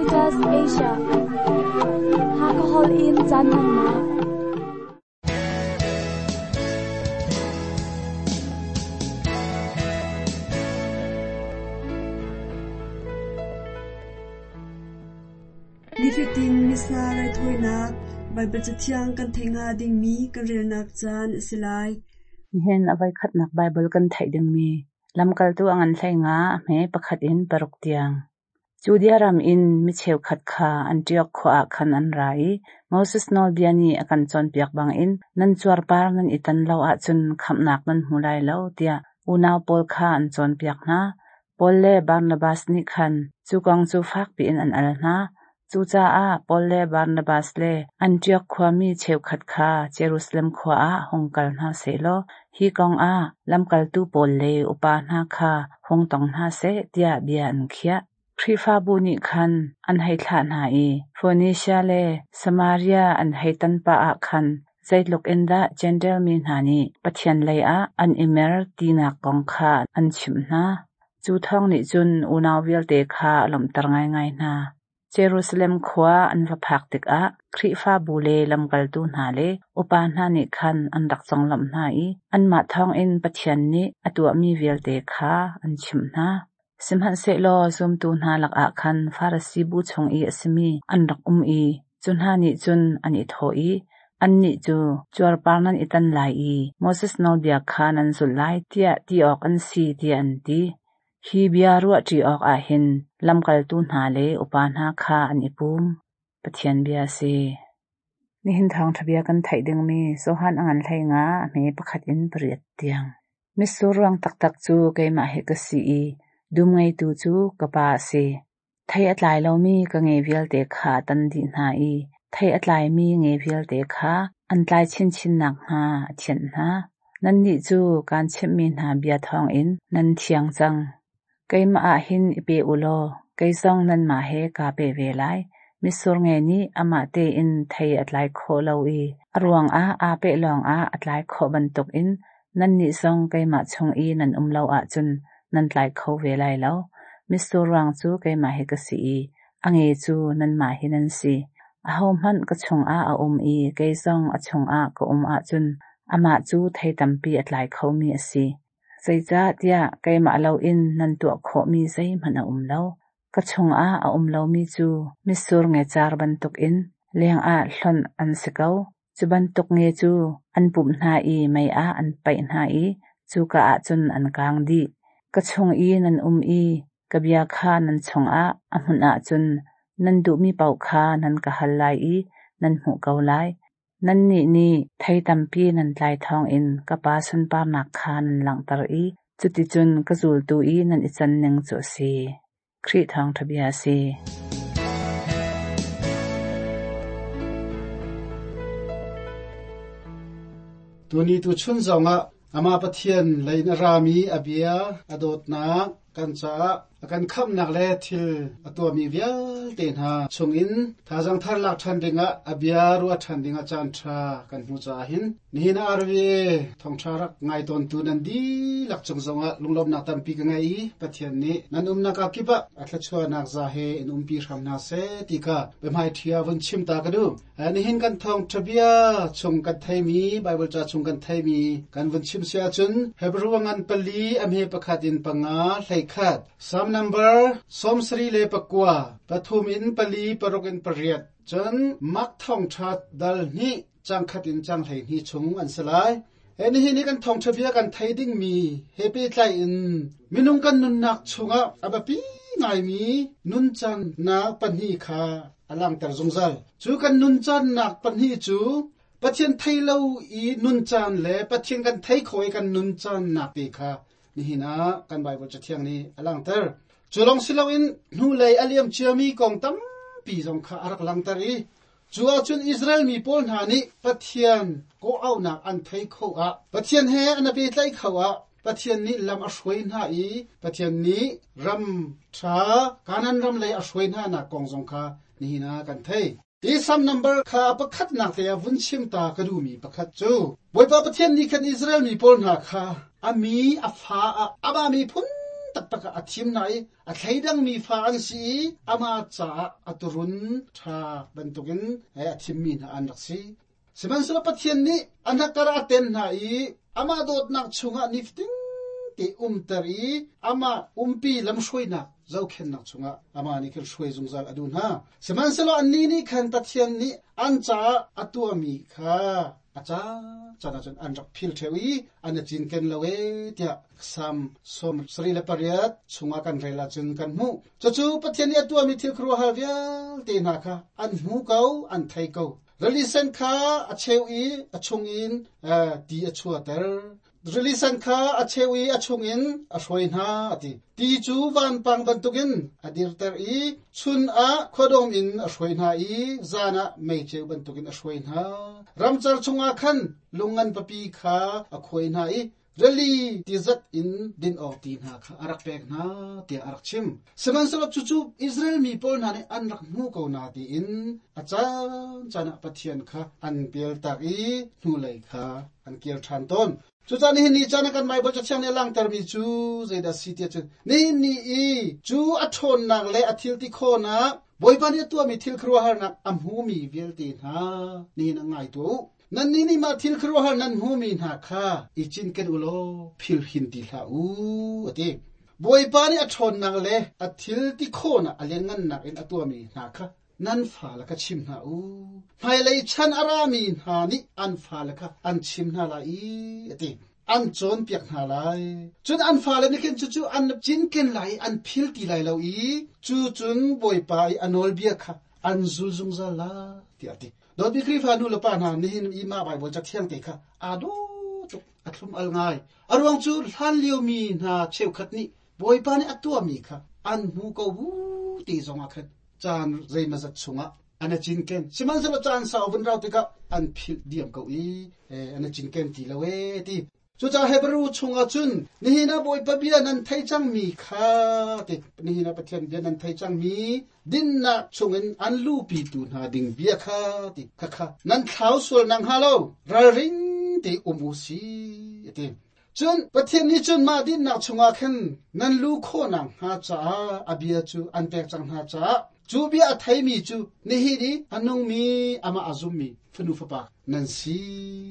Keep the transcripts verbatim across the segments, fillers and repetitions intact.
Caritas Asia. Hakahol in caan hmannak. Nifatin Missa raithawinak Baibal Cathiang kan theih hnga dingmi kan relnak caan a si lai. Nihin a voikhatnak Baibal kan theih dingmi lamkaltu a ngan hlei nga a hme pakhat in paruk tiang. Judea ram in mi cheukhat kha Antioch khua ah khan an ra i Moses nawlbia nih a kan cawnpiak bangin nan cuarpar nan i tan lo ahcun khamhnak nan hmu lai lo tiah unau pawl kha an cawnpiak hna. Paul le Barnabas nih khan cu kong cu fak piin an al hna. Cucaah Paul le Barnabas le Antioch khuami cheukhat kha Jerusalem khua ah hung kal hna sehlaw hi kong ah lamkaltu pawl le upa hna kha hung tong hna seh tiah bia an khiah. Khrihfabu nih khan an hei thlah hna i Foenisia le Samaria an hei tan pah ah khan zeitluk in dah Jentail mi hna nih Pathian lei ah an i mer tinak kong kha an chimh hna. Cu thawng nih cun unau vialte kha a lawmhter ngaingai hna. Jerusalem khua an va phak tikah Khrihfabu le lamkaltu hna le upa hna nih khan an rak conglawmh hna i anmah thawngin Pathian nih a tuahmi vialte kha an chimh hna. Sihmanhsehlaw zumtu hna lakah khan Farasi bu chung i a simi an rak um i cu hna nih cun an i thawh i annih cu cuarpar nan i tan lai i Moses nawlbia kha nan zulh lai tiah ti awk an si tiah an ti. Hi bia ruahṭi awk ah hin lamkaltu hna le upa hna kha an i pum. Pathian bia a si. Nihin thawngṭha bia kan theih dingmi Johan a ngan hlei nga a hme pakhat in pariat tiang. Mitsur ruang taktak cu keimah hi ka si i dum ngeitu cu ka pa a si. Thei a tlai lomi ka nge vialte kha a tan dih hna i thei a tlaimi nge vialte kha an tlai chinchin nakhnga a thianh hna. Nannih cu kaan chimhmi hna bia thawngin nan thiang cang. Keimah ah hin i pe u law kei zong nanmah he kaa pe ve lai. Mitsur nge nih amah tein thei a tlai khawh lo i a ruangah aa peh lawngah a tlai khawh bantukin nannih zong keimah chung i nan um lo ahcun nan tlai kho ve lai lo. Mitsur ruang cu keimah hi ka si i a nge cu nanmah hi nan si. Ahohmanh ka chungah a um i kei zong a chungah ka um ahcun amah cu thei tampi a tlai khomi a si. Zeicahtiah keimah loin nan tuah khawhmi zeihmanh a um lo. Ka chungah a um lomi cu mitsur ngecar bantukin lengah hlonh an si ko. Cu bantuk nge cu an pumh hna i mei ah an paih hna i cuka ah cun an kaang dih. Ka chung i nan um i ka bia kha nan chungah a hmunh ahcun nan duhmi paoh kha nan ka hal lai i nan hmuh ko lai. Nannih nih thei tampi nan tlai thawngin ka Pa sunparnak kha nan langhter i cuticun ka zultu i nan i can ning cu a si. Khrih thawngṭha bia a si. Tuni tu chun zongah ama Pathian lein a rami a bia a dawtnak kan caah a kan khamnak le thil a tuahmi vialte hna chungin thazaang thar lak ṭhan dingah a bia ruah ṭhan dingah caan ṭha kan hmu caah hin nihin R V A thawngṭha rak ngai tawntu nan dihlak cung zongah lunglawmhnak tampi ka ngei i Pathian nih nan umnak ah kip ah a thluachuahnak za he in umpi hram hna seh ti kha biahmai ṭhia vun chim ta ka duh. Nihin kan thawngṭha bia chung kan theimi Bible ca chung kan theimi kan vun chim si ahcun Hebrew ngan pali a hme pakhat in panga hlei khat Psalm number sawmsarih le pakua pathum in pali paruk in pariat cun Mark thawngṭha dal hnih cang khat in cang hlei hnih chung an si lai. Nihin hi kan thawngṭha bia kan thei dingmi he pehtlai in minung kan nunnak chungah a biapi ngaimi nuncannak pahnih kha a langhter zungzal. Cu kan nuncannak pahnih cu Pathian thei lo i nuncan le Pathian kan thei kho i kan nuncannak te kha nihin ah kan Bible cathiang nih a langhter. Cu lawng si loin hnulei a liam ciami kong tampi zong kha a rak langhter i cu ahcun Israel mi pawl hna nih Pathian kawhauhnak an thei kho ah Pathian he an pehtlaih kho ah Pathian nih lam a hruai hna i Pathian nih ram ṭha Kanaan ram lei a hruai hna nak kong zong kha nihin ah kan thei. Hi Psalm number kha pakhat nak te ah vun chim ta ka duhmi pakhat cu Bawipa Pathian nih khan Israel mi pawl hna kha a mi a fa ah amah miphun taktak tak a thim na i a thleidang mi fa an si i ama cha aturun tha bantukin a thim mi na an rak si. Sihmanhsehlaw Pathian nih an hakar a ten hna i ama dawtnak chungah niftin te umter i ama umpi lamhruainak zohkhennak chungah ama nih khan hruai zungzal a duh hna. Sihmanhsehlaw annih nih khan Pathian nih an caah a tuahmi kha a ca caan ahcun an rak phil ṭheo i an i cinken lo e tiah Salm sawm sarih le pariat chungah kan rel ahcun kan hmuh. Cucu Pathian nih a tuahmi thil khuaruahhar vialte hna kha an hmu ko, an thei ko. Rili sen kha a cheu i a chungin ti a chuahter. Rili sen kha a cheu i a chungin a hruai hna a ti. Ti cu vanpang bantukin a dirter i chun ah khuadawm in a hruai hna i zan ah meiceu bantukin a hruai hna. Ramcar chungah khan lungngan papi kha a khuai hna i rili tizat in din awk ti hna kha a rak pek hna tiah a rak chim. Sihmanhsehlaw cucu Israel mi pawl hna nih an rak hmu ko na tiin a caan caan ah Pathian kha an pialtak i hnulei kha an kir ṭhan tawn. Cucaah nihin ni caan ah kan Baibal Cathiang nih a langhtermi cu zeidah si tiah cun nihin ni i cu a ṭhawnnak le a thil ti khawhnak Bawipa nih a tuahmi thil khuaruahharnak a hmumi vialte hna nihin ah ngai tuah u. Nannih nih mah thil khuaruahhar nan hmumi hna kha i cinken u law phil hin ti hlah u, a ti. Bawipa nih a ṭhawnnak le a thil ti khawhnak a lianngannak in a tuahmi hna kha nan fale kha chim hna u. Hmailei chan a rami hna nih an fale kha an chim hna lai i, a ti. An cawnpiak hna lai. Cun an fale nih khin cucu an cinken lai i an phil ti lai lo i cu cun Bawipa i a nawlbia kha an zul zungzal lai, tiah a ti. Dawtmi Khrihfa nu le pa hna nihin i mah Baibal Cathiang te kha aa dawh tuk, a thlum al ngai. A ruang cu hlan liomi hna cheukhat nih Bawipa nih a tuahmi kha an hmu ko bu ti zongah khan caan zeimazat chungah an i cinken. Sihmanhsehlaw caan sau vun rau tikah an philh diam ko i an i cinken ti lo ee ti. Cucaah Hebrew chungah cun nihin ah Bawipa bia nan thei cangmi kha ti nihin ah Pathian bia nan thei cangmi dinnak chungin an luhpitu hna ding bia kha ti khakha nan thlau sual nak hnga lo ralring te um u si ti. Cun Pathian nih cun mah dinnak chungah khan nan lu khawhnak hnga caah a bia cu an pek cang hna caah cu bia a theimi cu nihin i a nungmi amah a zummi fanu fapa nan si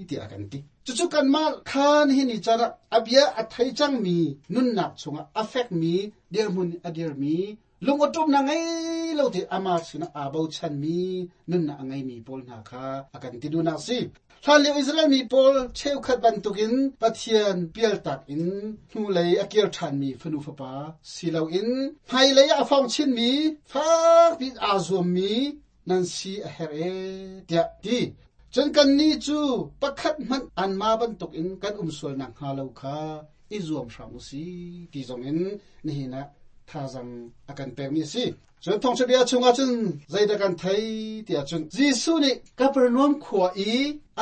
tiah a kan ti. Cucu kanmah kha nihin ni caan ah a bia a thei cangmi nunnak chungah a fekmi dirhmun a dirmi lung awṭumnak ngei lo te amah sinah aa bochanmi nunnak a ngeimi pawl hna kha a kan ti duhnak si. Hlanlio Israel mi pawl cheukhat bantukin Pathian pialtak in hnulei a kir ṭhanmi fanu fapa si loin hmailei ah a fong chinmi fakpi aa zuammi nan si a herh e tiah ti. Cun kannih cu pakhat hmanh anmah bantukin kan um sualnak hnga lo kha i zuam hram u si ti zongin nihin ah thazang a kan pekmi a si. Cun thawngṭha bia chungah cun zeidah kan thei tiah cun Jesuh nih Kapernaum khua i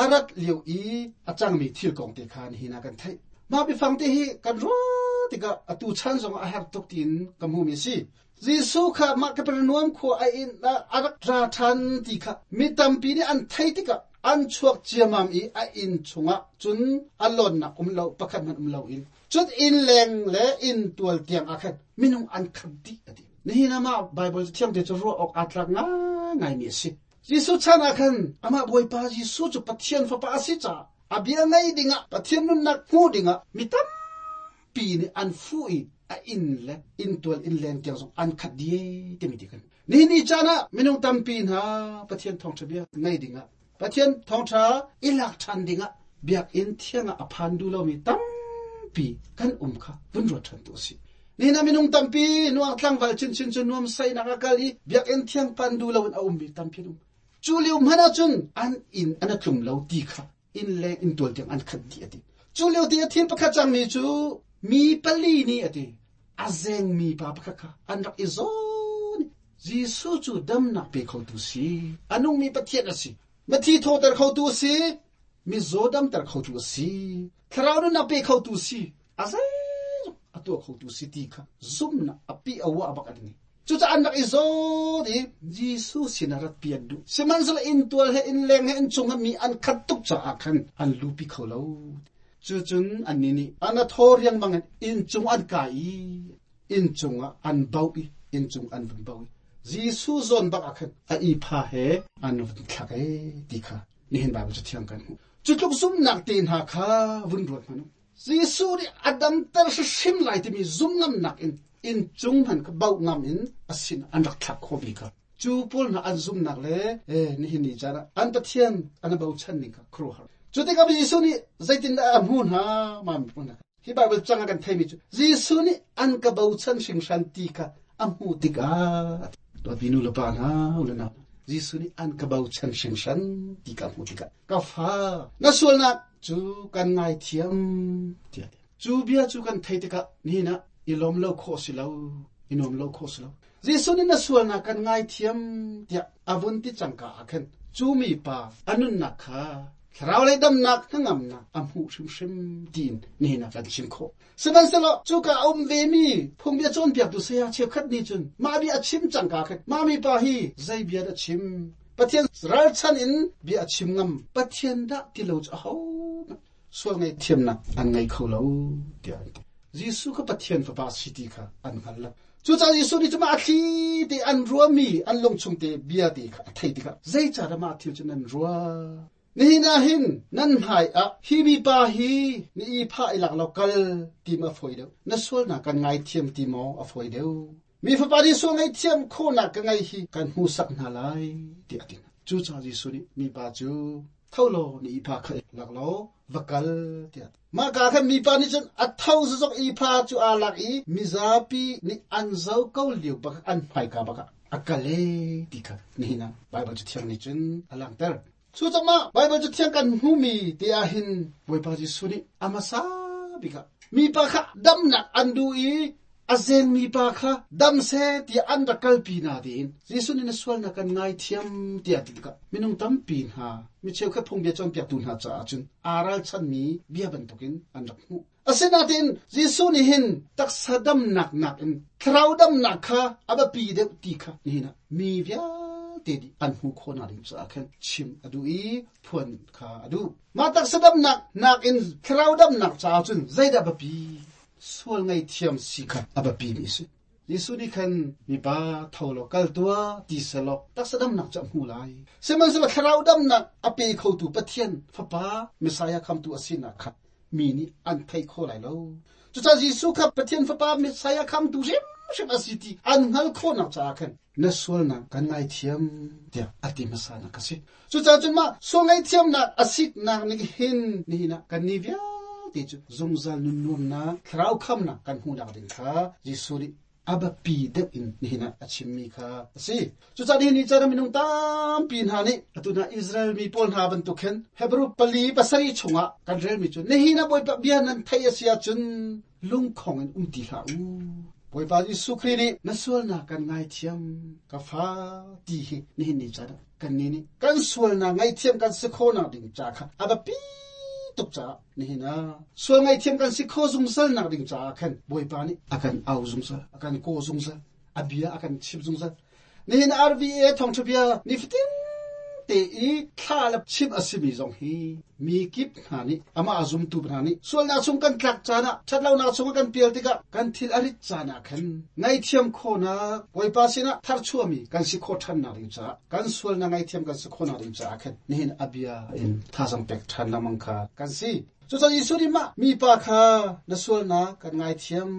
a rat lio i a cangmi thil kong te kha nihin ah kan theih. Mah biafang te hi kan ruah tikah atu chan zongah a herh tuk tiin ka hmumi a si. Jesuh kha mah Kapernaum khua a inn ah a rak ra ṭhan ti kha mi tampi nih an theih tikah an chuak ciamam i a inn chungah cun a lawnnak um lo pakhat hmanh um loin cun inn leng le inn tual tiang ah khan minung an khat dih a ti. Nihin ah mah Baibal Cathiang te cu ruah awk aa tlak ngaingaimi a si. Jesuh chan ah khan amah Bawipa Jesuh cu Pathian Fapa a si caah a bia ngei dingah Pathian nunnak hmuh dingah mi tampi nih an fuh i a inn le inn tual inn leng tiang zong an khat dih timi ti kan. Nihin ni caan ah minung tampi hna Pathian thawngṭha bia ngei dingah Pathian thawngṭha i lak ṭhan dingah biakinn thiang ah a phan duh lomi tampi kan um kha vun ruat ṭhan tu a si. Nihin ah minung tampi nuak tlangval chinchin cu nuam sainak a kal i biakinn thiang pan duh loin a ummi tampi an um. Cu lio hmanh ah cun an inn an a tlum lo ti kha inn leng inn tual tiang an khat dih a ti. Cu lio ti a thil pakhat cangmi cu mi pali nih a ti. A zengmi pa pakhat kha an rak i zawn. Jesuh cu damnak pe khotu si. A nungmi Pathian a si. Mithi thawhter khotu a si. Mizaw damter khotu a si. Thlarau nunnak pe khotu si. A zeizong a tuah khotu si ti kha zumnak a pi a wa bak an ngei. Cucaah an rak i zawn i Jesuh sinah rat pi an duh. Sihmanhsehlaw inn tual he inn leng he inn chungah mi an khat tuk caah khan an lupi kho lo. Cucun annih nih an a thaw riangmang in inn cung an kai i in chunga an bau i in chung an vun bau Jesu zon bak akhan a i pha he an vun thlak e ti kha nihin Bible chu thiang kan hu chu tluk zum nak te na kha vun ruat manu Jesu ni adam tar hrim lai ti mi zum ngam nak in in chung han ka bau ngam in asin an rak thlak kho bi kha chu pol na an zum nak le e nihin ni chara an Pathian an bau chan ning kha khro har chu te ka Jesu ni zaitin a mu na ma mi pon na hi Bible changa kan thei mi chu Jesu ni an ka bau chan hring shan ti kha amu tika to binu la pa na ulana Jesu ni an ka bau chan hring shan ti ka mu tika ka fa na sual na chu kan ngai thiam tia chu bia chu kan thei tika ni na ilom lo kho si lo inom lo kho si lo Jesu ni na sual na kan ngai thiam tia avun ti changka akhen chu mi pa anun na kha thraw le dam nak ngam na amu hrim hrim tin ni na kan chim kho seban selo chu ka om ve mi phung bia chon piak tu se ya che khat ni chun ma bi a chim changka kha ma mi pa hi zai bia da chim Pathian ral chan in bia chim ngam Pathian da ti lo cha ho sual ngai thiam na an ngai kho lo tia Jesu ka Pathian fa pa si ti kha an hal la chu cha Jesu ni chuma athli te an ruwa mi an long chung te bia te kha thei ti kha zai cha ra ma thil chun an ruwa ni na hin nan hai a hi mi pa hi ni i pha ilak lokal ti ma foi deu na sual na kan ngai thiam ti mo a foi deu mi fa pa ni sual ngai thiam kho na ka ngai hi kan hu sak na lai ti atin chu cha Jesu ni mi pa chu tholo ni i pha kha lak lo vakal ti ma ka kha mi pa ni chun a thau zok i pha chu a lak i mizapi ni an zo ko liu bak an phai ka bak akale ti kha ni na Bible chu thiang ni chun alang ter chu chama Bible chu thiang kan hu mi te a hin boi pa Jesu ni amasa bika mi pa kha dam nak an du i azeng mi pa kha dam se ti an rakal pi na din Jesu ni na sual na kan ngai thiam ti ati ka minung tam pi ha mi cheu kha phung bia chon piak tu na cha chun aral chan mi bia ban tokin an rak mu asena tin Jesu ni hin taksa dam nak nak in thrau dam nak kha aba pi de ti kha ni na mi via te di an hu kho na ring cha khan chim adu i phuan kha adu ma taksa dam nak nak in thrau dam nak cha chun zaida ba pi sual ngai thiam si kha aba pi mi si Jesu ni khan mi pa tholo kal tua ti selo taksadam nak cham hu lai seman selo thrau dam nak ape kho tu Pathian fa pa Messiah kham tu asina kha mi ni an thei kho lai lo chu cha Jesu kha Pathian fa pa Messiah kham tu rim rim asiti an ngal kho nak cha khan na sual na kan ngai thiam tia ati masana kasi chu cha chun ma sual ngai thiam nak asik nak ni hin ni na kan ni via ti chu zungzal nun nuam na thrau kham na kan hu nak ding kha Jesu ni aba pi de in ni na achim mi kha si chu cha ni ni cha minung tam pi na ni atuna Israel mi pol na ban tu khen Hebrew pali pasari chunga kan rel mi chu ni hi na boi pa bia nan thai asia chun lung khong in um ti hla u boi pa Jesu Khri ni na sual na kan ngai thiam ka fa ti hi ni ni cha kan ni ni kan sual na ngai thiam kan se kho na ding cha kha aba pi tuk cha ni na sual ngai thiam kan si kho zung sal nak ding cha khan boi pa ni akan au zung sal akan ko zung sal abia akan chip zung sal ni na R V A thong thubia ni fitin te i thla la chip asimi zong hi mi kip na ni ama azum tu na ni sual na chung kan tlak cha na thatlo na chung kan pial tika kan thil arit cha na khan ngai thiam kho na boi pa sina thar chuami kan si kho than na ding cha kan sual na ngai thiam kan si kho na ding cha khan ni hin abia in tha sang pek than na mang kha kan si chu cha Jesu ni ma mi pa kha na sual na kan ngai thiam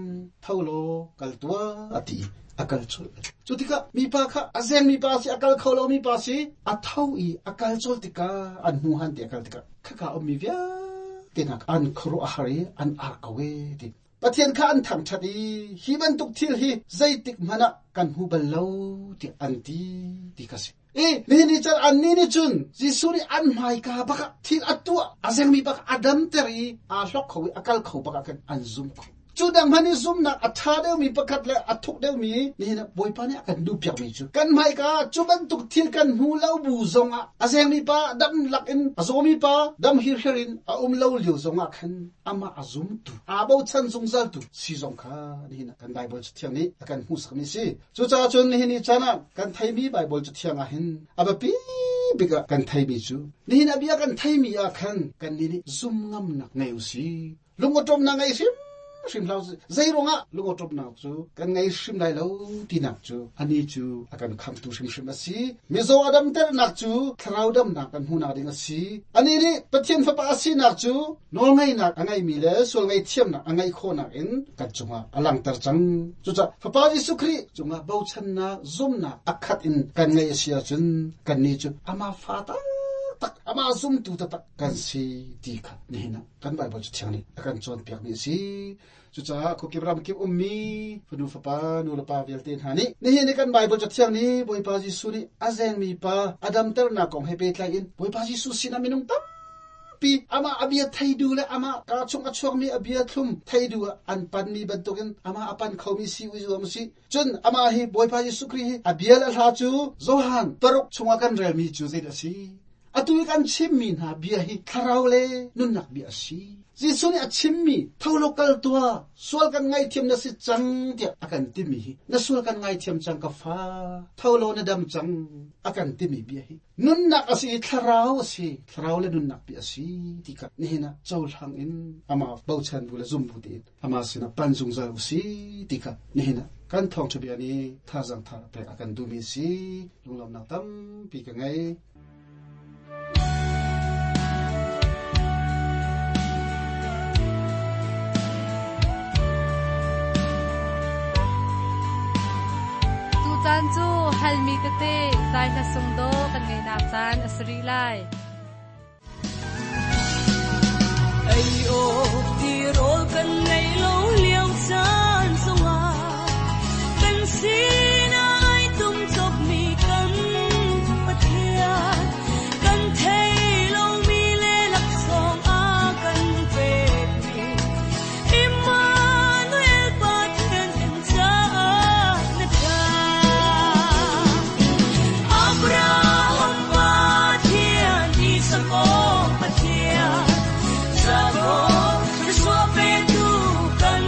tholo kal tua ati akal chol chu tika mi pa kha azeng mi pa si akal kholo mi pa si a thau i akal chol tika an mu han te akal tika kha ka om mi via te nak an khro a hari an ar kawe ti Pathian kha an thang thati hi ban tuk thil hi zaitik mana kan hu bal lo ti an ti ti ka si e ni ni chan an ni ni chun Jesu ni an mai ka baka thil atua azeng mi baka adam teri a hlok khowi akal kho baka kan an zum kho chu dang mani zum na atha deu mi pakhat le athuk deu mi ni na boi pa ne kan du piak mi chu kan mai ka chu ban tuk thil kan hu lo bu zonga azeng mi pa dam lak in azomi pa dam hir herin a um lo liu zonga khan ama azum tu abo chan zung zal tu si zong kha ni na kan Bible chu thiang ni akan hu sak mi si chu cha chun ni ni chana kan thai mi Bible chu thiang a hin aba pi bika kan thai mi chu ni na bia kan thai mi a khan kan ni ni zum ngam nak nei u si lungotom na ngai sim Hrim hlau zei ruangah lungo top nak chu kan ngai hrim lai lo ti nak chu ani chu akan kham tu hrim hrim asi mizo adam ter nak chu tharau dam nak kan hu nak ding asi ani ni pathian fa pa asi nak chu nol ngai nak angai mi le sol ngai thiam nak angai kho nak in kan chunga alang tar chang chu cha fa pa Jesu Khri chunga bo chan na zum na akhat in kan ngai asia chun kan ni chu ama fa ta tak ama zum tu ta tak kan si ti kha ni na kan Bible chu thiang ni akan chon piak ni si chu cha ko ki ram ki ummi fanu fa pa nu la pa vel te ha ni ni hi ni kan Bible chu thiang ni boi pa Jesu ni azeng mi pa adam ter na kong he pe tlai in boi pa Jesu sin aminung tam pi ama abia thaidu le ama ka chung a chuak mi abia thlum thaidu an pan mi bantukin ama apan khomi si u zuam si chun ama hi boi pa Jesu Khri hi abia la hla chu Johan paruk chunga kan rel mi chu zait asi atu kan chim mi na bia hi tharau le nun nak bia si Jesu ni a chim mi tholo kal tua sual kan ngai thiam na si chang tia akan ti mi hi na sual kan ngai thiam chang ka fa tholo na dam chang akan ti mi bia hi nun nak asi tharau asi tharau le nun nak bia si ti ka ni na chaw hlang in ama bauchan bu la zum bu ti ama sina pan zung zal si ti ka ni na kan thong chu bia ni tha jang tha pe akan du mi si lunglam nak tam pi ka ngai Chan chu halmi te te zai hla sung do kan ngai nak chan asri lai ai o ti rol kan nei lo liao chan sunga kan sin ai tum chop mi kan pathian kan thei lo mi le lak song a kan pe mi Emmanuel pathian kan cha na tha Abraham pathian Isaac pathian Jacob Joshua pe tu kan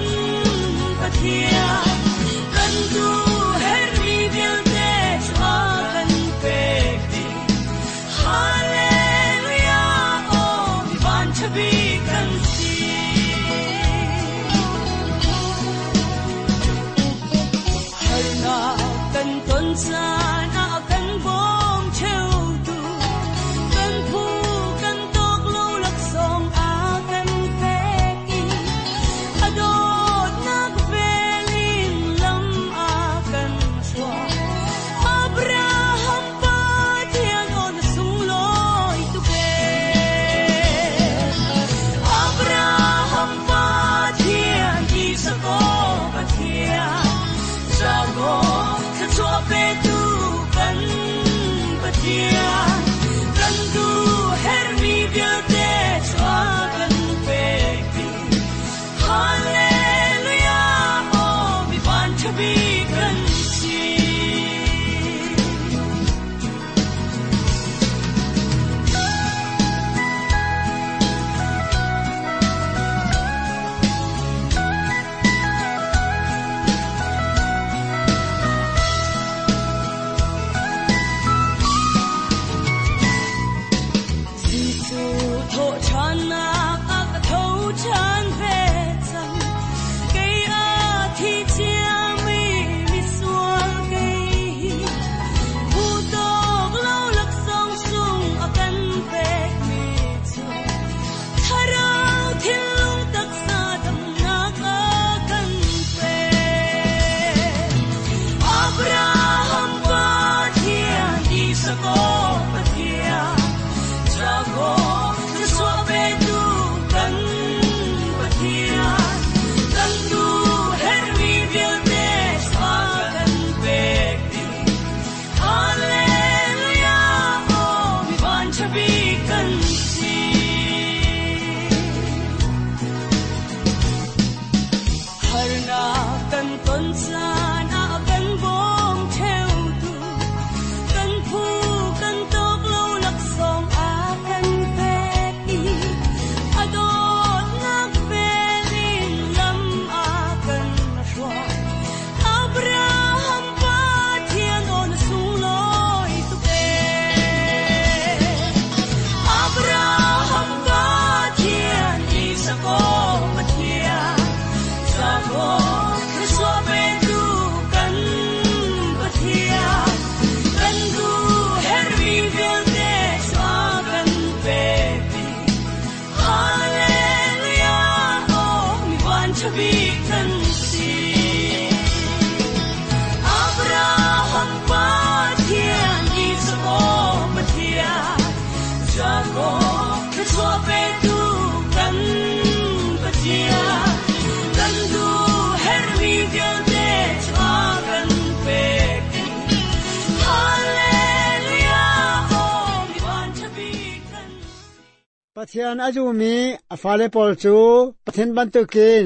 Pathian a zummi a fale pawl cu Pathian bantukin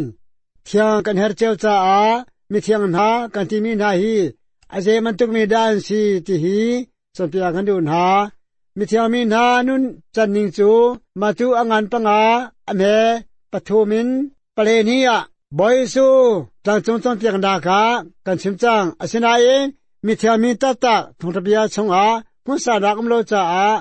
thiang kan herh cio caah mithiang hna kan timi hna hi a zei bantuk mi dah an si ti hi cawnpiak kan duh hna. Mithiang mi hna nun can ning cu Matu a ngan panga a hme pathum in pale ni ah Bawi Jesuh tlangcung cawnpiaknak ah kan chim cang. Asinain mithiang mi taktak thawngṭha bia chungah hmunsanak um lo caah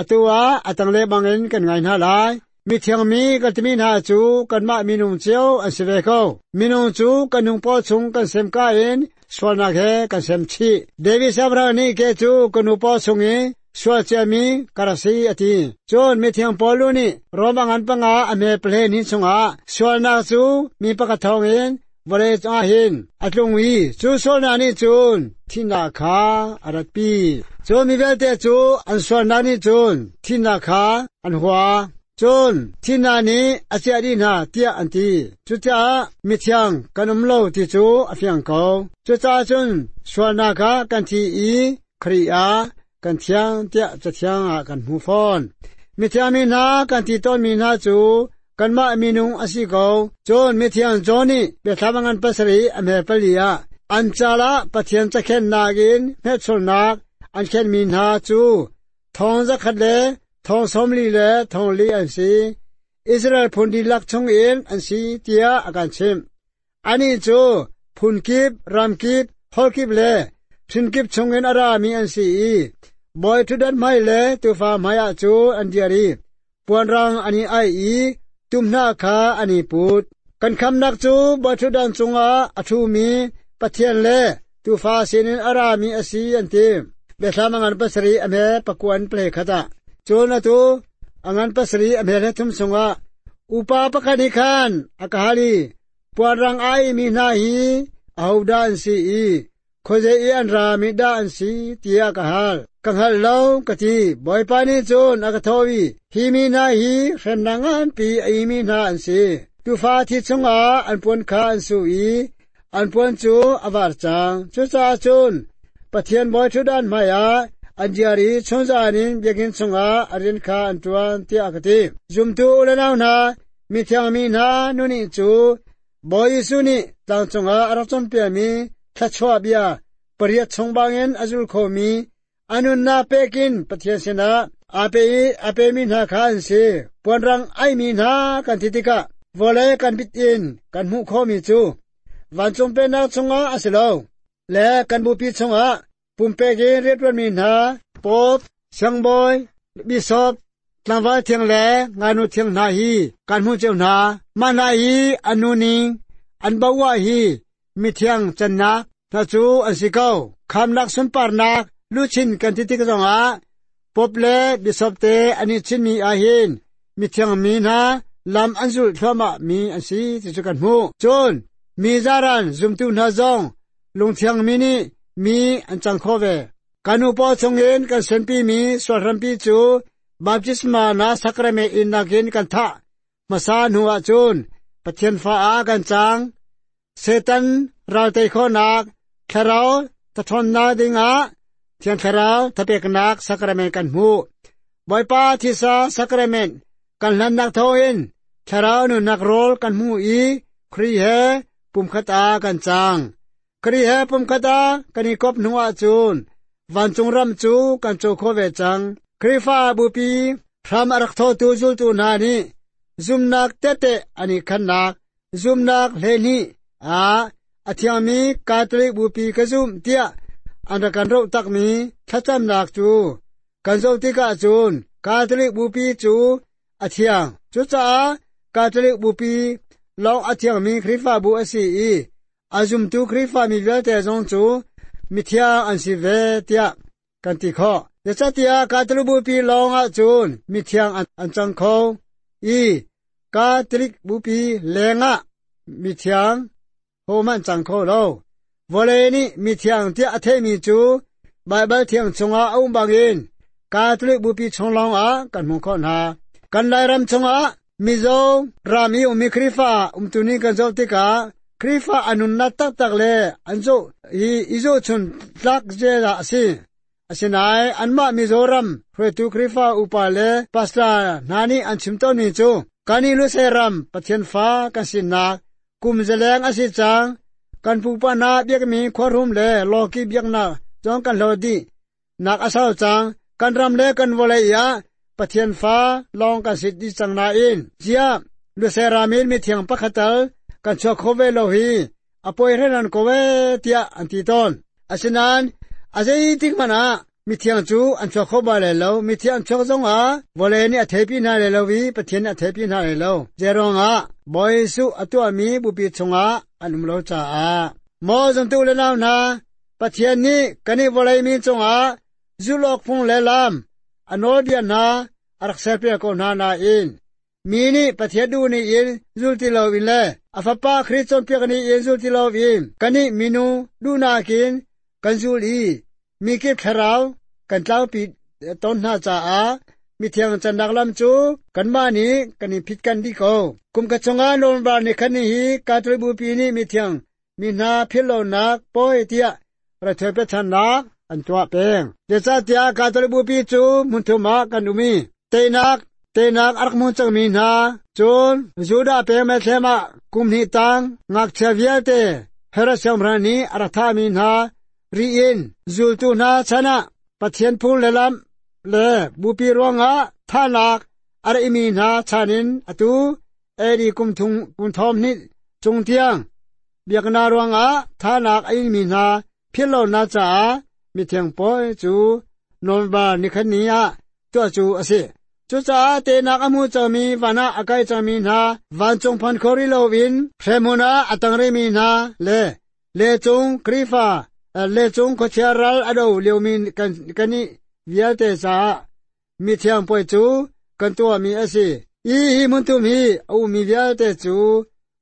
atu ah a tanglei bangin kan ngai hna lai. Mithiang mi kan timi hna cu kanmah minung cio an si ve ko. Minung cu kan nung paw chung kan sem ka in sualnak he kan sem chih. David Siangpahrang nih ke cu ka nu paw chung i sual ciami ka rak si a ti. Cun mithiang Paul nih Rom a ngan panga a hme pahlein hi chungah sualnak cu mi pakhat thawngin vawlei cungah hin a tlung i cu sualnak nih cun thihnak kha a ratpi. Cun mi vialte cu an sualnak nih cun thihnak kha an hua. Cun thihnak nih a ciah dih hna tiah an ti. Cucaah mithiang kan um lo ti cu a fiang ko. Cucaah cun sualnak kha kan thi i Khrih ah kan thiang tiah Cathiang ah kan hmu fawn. Mithiang mi hna kan ti tawnmi hna cu kanmah minung a si ko. Cun mithiang John nih biathlam a ngan pasarih a hme pali ah an cal ah Pathian cakhennak in hmelchunhnak an khenmi hna cu thong zakhat le thong sawmli le thong li an si. Israel phun dihlak chungin an si tiah a kan chimh. Anih cu phun kip, ram kip, holh kip le phun kip chungin a rami an si i bawi ṭhutdan hmai le tuufa hmaiah cu an dir i puanrang an i aih i tumhnah kha an i put. Kan khamnak cu bawi ṭhutdan cungah a ṭhumi Pathian le tuufa sinin a rami a si an ti. Biathlam a ngan pasarih a hme pakua in pahleikhat khat ah. Cun atu a ngan pasarih a hme hlethum chungah upa pakhat nih khan a ka hal i puanrang a aihmi hna hi ahodah an si i khuazei i an rami dah an si tiah ka hal. Ka hngal lo ka ti. Bawipa nih cun a ka thawh i hi mi hna hi hremnak nganpi a imi hna an si. Tuufa thi chungah an puan kha an su i an puan cu a var cang. Cucaah cun Pathian bawi ṭhutdan hmaiah an dir i chunzan in biakinn chungah a rian kha an ṭuan tiah a ka ti. Zumtu u le nau hna, mithiang mi hna nunih cu Bawi Jesuh nih tlang cungah a rak cawnpiakmi thluachuah bia pariat chung bangin a zul khomi a nunnak pekin Pathian sinah aa pe i a pemi hna kha an si. Puanrang aihmi hna kan ti tikah vawlei kan bit in kan hmuh khawhmi cu vancung pennak chungah a si lo le kan bupi chungah pumpek in rianṭuanmi hna Pope, siangbawi, bishop, tlangval thiang le ngaknu thiang hna hi kan hmuh cio hna. Mah hna hi an nuning, an boah hi mithiang cannak hna cu an si ko. Khamnak sunparnak luchin kan ti tik zongah Pope le bishop te an i chinmi ahhin mithiang mi hna lam an zulh thluahmah mi an si ti cu kan hmuh. Cun mi zaran zumtu hna zong lungthiang mi nih mi an cang kho ve. Kan nupaw chungin kan senpimi sualhrampi cu baptisma na sakrament in nakin kan thah. Hmasa hnu ahcun Pathian fa ah kan cang. Satan raltei khawhnak thlarau thathawnnak dingah Thiang Thlarau thapeknak sakrament kan hmuh. Bawipa thisa sakrament kan hlannak thawngin thlarau nunnak rawl kan hmu i Khrih he pumkhat ah kan cang. Khrih he pumkhat ah kan i kop hnu ahcun vancung ram cu kan co kho ve cang. Khrihfa bupi hram a rak thotu zultu hna nih zumnak tete an i khannak zumnak hleihnih ah a thiangmi Catholic bupi ka zum tiah an rak kan roh takmi thlacamnak cu kan zoh tikah cun Catholic bupi cu a thiang. Cucaah Catholic bupi lawng a thiangmi Khrihfabu a si i a zumtu Khrihfa mi vialte zong cu mithiang an si ve tiah kan ti khawh. Zeicahtiah Catholic bupi lawng ahcun mithiang an cang kho i Catholic bupi lengah mithiang hohmanh cang kho lo. Vawlei nih mithiang tiah a theihmi cu Baibal thiang chungah a um bangin Catholic bupi chung lawngah kan hmuh khawh hna. Kan Lairam chungah Mizo ram i ummi Khrihfa umtu ning kan zoh tikah Khrihfa a nunnak taktak le an zoh i i zohchun tlak zeidah a si. Asinai anma Mizoram hruaitu Khrifa upa le pastor hna nih an chim tawnmi cu kani Lusei ram Pathian fa kan sinak kum zaleng a si cang kan pupa hna biakmi khuahrum le lawki biaknak zong kan hlo dih nak a sau cang kan ram le kan vawlei ah Pathian fa lawng kan si dih cang nain ziah Lusei ram in mithiang pakhat tal kan chuak kho ve lo hi a poi hrenan ko ve tiah an ti tawn. Asinain a zeitik hmanh ah mithiang cu an chuak kho bal lai lo. Mithiang an chuak zongah vawlei nih a theipi hna lai lo i Pathian nih a theipi hna lai lo. Zeiruangah Bawi Jesuh a tuahmi bupi chungah an um lo caah. Maw zumtu le nau hna, Pathian nih kan i vawlei mi cungah zulh awk phung le lam a nawlbia hna a rak serpiak ko hna nain mi nih Pathian duh ning in zul ti loin le a Fapa Khrih cawnpiak ning in zul ti loin kannih minung duhnak in kan zul i mikip thlarau kan tlaupi tawn hna caah mithiang cannak lam cu kanmah nih kan in phit kan dih ko. Kum khat chungah November ni khat ni hi Catholic Bupi nih mithiang mi hna philhlonak pawi tiah raithawi pechannak an tuah peng. Zeicahtiah Catholic Bupi cu hmunthum ah kan um i teinak teinak a rak hmu cangmi hna cun Judah peng Bethlehem ah kum hnih tang ngakchia vialte Herod siangpahrang nih a rak thahmi hna ri in zultu hna chan ah Pathian phung le lam le bupi ruangah thahnak a rak imi hna chan in atu A D kum thum kum thong hnih cung tiang biaknak ruangah thahnak a inmi hna philhlonak caah mithiang pawi cu November nikhat ni ah tuah cu a si. Cucaah teinak a hmu cangmi van ah a kai cangmi hna vancung phan kho rih loin hremhmun ah a tang rihmi hna le lecung Khrihfa lecung khuachia ral a do liomi kan kannih vialte caah mithiang puai cu kan tuahmi a si. I hi hmunthum hi a ummi vialte cu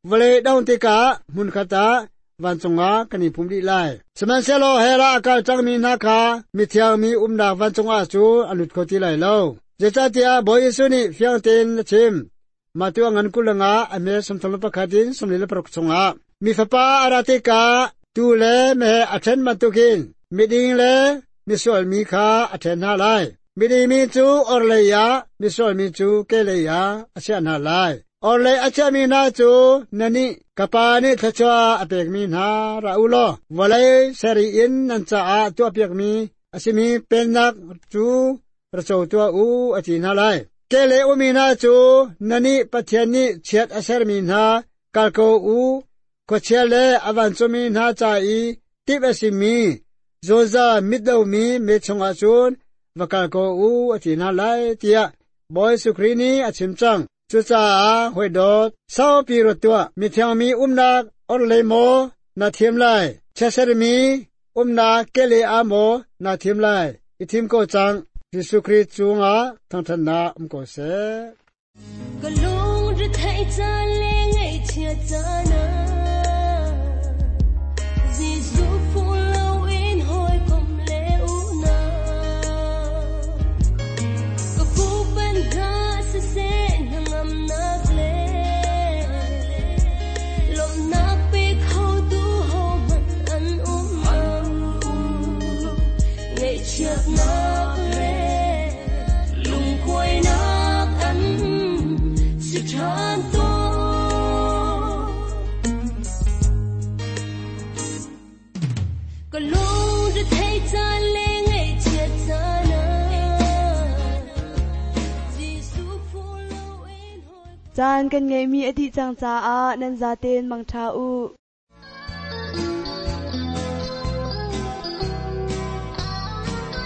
vawlei dongh tikah hmunkhat ah vancung ah kan i pum dih lai. Sihmanhsehlaw hell ah a kal cangmi hna kha mithiang mi umnak vancung ah cu an lut kho ti lai lo. Zeicahtiah Bawi Jesuh nih fiang tein a chim. Matthew a ngan kul le nga a hme sawmthum le pakhat in sawmli le paruk chungah mi fapa a ra tikah tuu le meheh a ṭhen bantukin miding le misual mi kha a ṭhen hna lai. Miding mi cu orhlei ah, misual mi cu kehlei ah a chiah hna lai. Orhlei a chiahmi hna cu nannih ka Pa nih thluachuah a pekmi hna ra u law vawlei sarih in nan caah tuahpiakmi a simi pennak cu ra co tuah u a ti hna lai. Kehlei ummi hna cu nannih Pathian nih chiat a sermi hna kal ko u, khuachia le a vancungmi hna ca i timh a simi zungzal mit lomi mei chungah cun va kal ko u a ti hna lai tiah Bawi Jesuh Khrih nih a chim cang. Cucaah hawi dawt saupi ruat tuah, mithiang mi umnak orhlei maw na thim lai, chiatsermi umnak kehlei ah maw na thim lai, i thim ko cang. Jesuh Khrih cungah thangṭhatnak um ko seh. Ka lungre theih caan le ngaihchiat caan ah Jesuh phu loin hawikom le unau ka fuhpanh hna siseh hnangamnak le lawmhnak pe khotu hohmanh an um lo ngaihchiatnak le lungkuainak an si ṭhan tawn. Ka lungre theih caan le ngaihchiat caan ah Jesuh phu loin hawikom Caan kan ngeihmi a dih cang caah nan zaten mangṭha u.